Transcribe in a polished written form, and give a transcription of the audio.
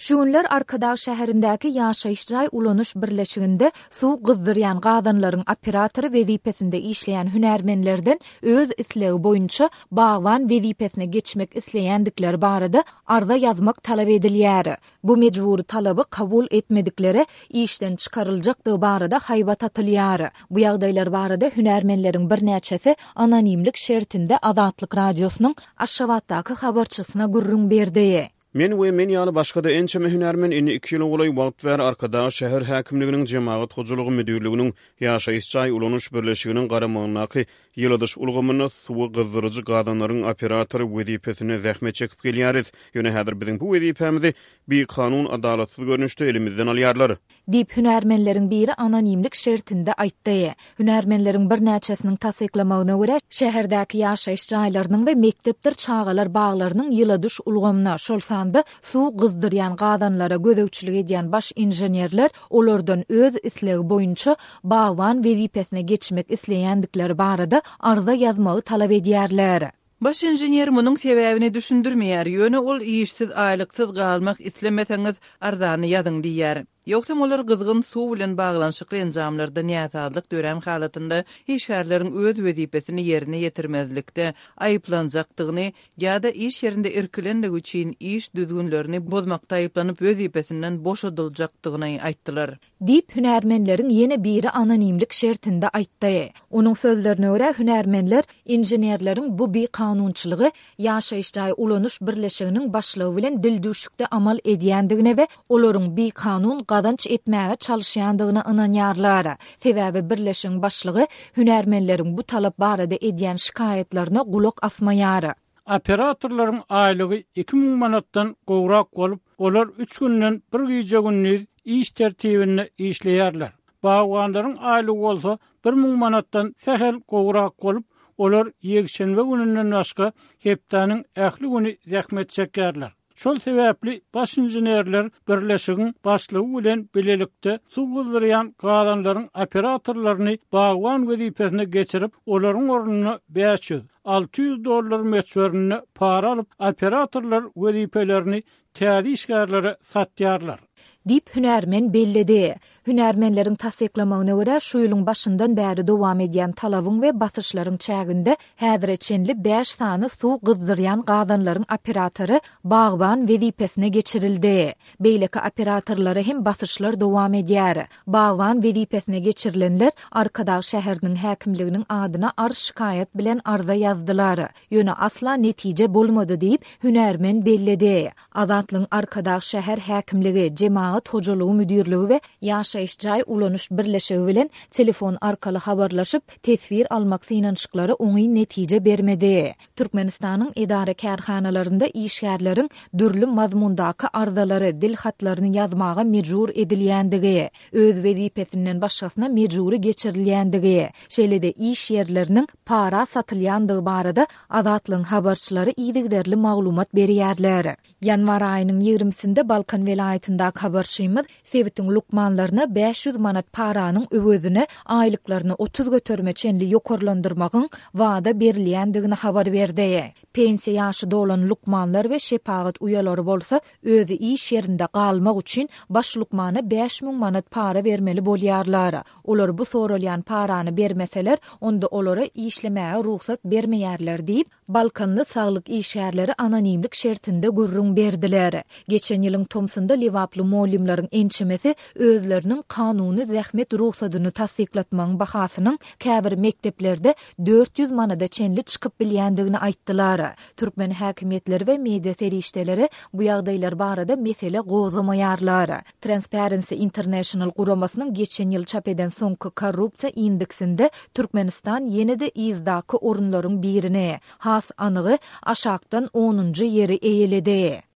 Şu günler Arkadag şäherindäki ýaşaýyş jaý ulanyş birleşiginde suw gyzdyrýan gazanlaryň operatory wezipesinde işleýän hünärmenlerden öz islegi boýunça bagban wezipesine geçmek isleýändikleri barada arza ýazmak talap edilýär. Bu mejbury talaby kabul etmediklere işden çykaryljakdygy barada haýbat atylýar. Bu ýagdaýlar barada hünärmenleriň birnäçesi anonimlik şertinde Azatlyk Radiosynyň Aşgabatdaky habarçysyna gürrüň berdi. Men we men ýaly başga-da ençeme hünärmen indi iki ýyla golaý wagt bäri Arkadag şäher häkimliginiň Jemagat hojalygy müdirliginiň Ýaşaýyş jaý ulanyş birleşiginiň garamagyndaky ýyladyş ulgamynda suwy gyzdyryjy gazanlaryň operatory wezipesinde zähmet çekip gelýäris. Ýöne häzir biziň bu wezipämizi bikanun, adalatsyz görnüşde elimizden alýarlar. Diýip, hünärmenleriň biri anonimlik şertinde aýtdy. Hünärmenleriň birnäçesiniň tassyklamagyna görä, şäherdäki ýaşaýyş jaýlarynyň we mekdepdir çagalar baglarynyň ýyladyş ulgamyna, şol sanda suw gyzdyrýan gazanlara gözegçilik edýän baş inženerler olardan öz islegi boýunça bagban wezipesine geçmek isleýändikleri barada arza ýazmagy talap edýärler. Baş inžener munuň sebäbini düşündirmeýär, ýöne ol işsiz, aýlyksyz galmak islemeseňiz, arzany ýazyň diýýär. Ýogsam olar gyzgyn suw bilen baglanyşykly enjamlarda näsazlyk dörän halatynda işgärleriň öz wezipesini ýerine ýetirmezlikde aýyplanjakdygyny ýa-da iş ýerinde irkilenligi üçin iş düzgünlerini bozmakda aýyplanyp wezipesinden boşadyljakdygyny aýtdylar. Diýip, hünärmenleriň ýene biri anonimlik şertinde aýtdy. Onuň sözlerine görä, hünärmenler inženerleriň bu bikanunçylygy ýaşaýyş jaý ulanyş birleşiginiň başlygy bilen dildüwşükde amal edýändigine we olaryň bikanun gazanç etmäge çalyşýandygyna ynanýarlar. Sebäbi birleşigiň başlygy hünärmenleriň bu talap barada edýän şikaýatlaryna gulak asmaýar. Operatorlaryň aýlygy 2000 manatdan gowrak bolup, olar üç günden bir gije-gündiz iş tertibinde işleýärler. Bagbanlaryň aýlygy bolsa 1000 manatdan sähel gowrak bolup, olar ýekşenbe gününden başga hepdäniň ähli güni zähmet çekýärler. Şol sebäpli baş inženerler birleşigiň başlygy bilen bilelikde suw gyzdyrýan gazanlaryň operatorlaryny bagban wezipesine geçirip, olaryň ornuna 500, 600 dollar möçberinde para alyp, operatorlar wezipelerini täze işgärlere satýarlar. Diýip, hünärmen belledi. Hünärmenleriň tassyklamagyna görä, şu ýylyň başyndan bäri dowam edýän talabyň we basyşlaryň çäginde häzire çenli bäş sany suw gyzdyrýan gazanlaryň operatory bagban wezipesine geçirildi. Beýleki operatorlara hem basyşlar dowam edýär. Bagban wezipesine geçirilenler Arkadag şäheriniň häkimliginiň adyna arz-şikaýat bilen arza ýazdylar. Ýöne asla netije bolmady diýip, hünärmen belledi. Azatlygyň Arkadag şäher häkimligi, Jemagat hojalygy müdirligi we Ýaşaýyş jaý ulanyş birleşigi bilen telefon arkaly habarlaşyp, teswir almak synanyşyklary oňyn netije bermedi. Türkmenistanyň edara-kärhanalarynda işgärleriň dürli mazmundaky arzalary, dil hatlaryny ýazmaga mejbur edilýändigi, öz wezipesinden başgasyna mejbury geçirilýändigi, şeýle-de iş ýerleriniň para satylýandygy barada Azatlygyň habarçylary yzygiderli maglumat berýärler. Ýanwar aýynyň ýigrimisinde Balkan welaýatyndaky habarçymyz sebitiň lukmanlaryna 500 manat paranyň öwezine aýlyklaryny 30 göterime çenli ýokarlandyrmagyň wada berilýändigini habar berdi. Pensiýa ýaşy dolan lukmanlar we şepagat uýalary bolsa özi iş ýerinde galmak üçin baş lukmana 5000 manat para bermeli bolýarlar. Olar bu soralýan parany bermeseler, onda olara işlemäge rugsat bermeýärler diýip, balkanly saglyk işgärleri anonimlik şertinde gürrüň berdiler. Geçen ýylyň tomsunda lebaply mugallymlaryň ençemesi özleriniň kanuny zähmet rugsadyny tassyklatmagyň bahasynyň käbir mekdeplerde 400 manada çenli çykyp bilýändigini aýtdylar. Türkmen häkimiýetleri we media serişdeleri bu ýagdaýlar barada mesele gozgamaýarlar. Transparency International guramasynyň geçen ýyl çap eden soňky korrupsiýa indeksinde Türkmenistan ýene-de yzdaky orunlaryň birini, has anygy, aşakdan onunjy ýeri eýeledi.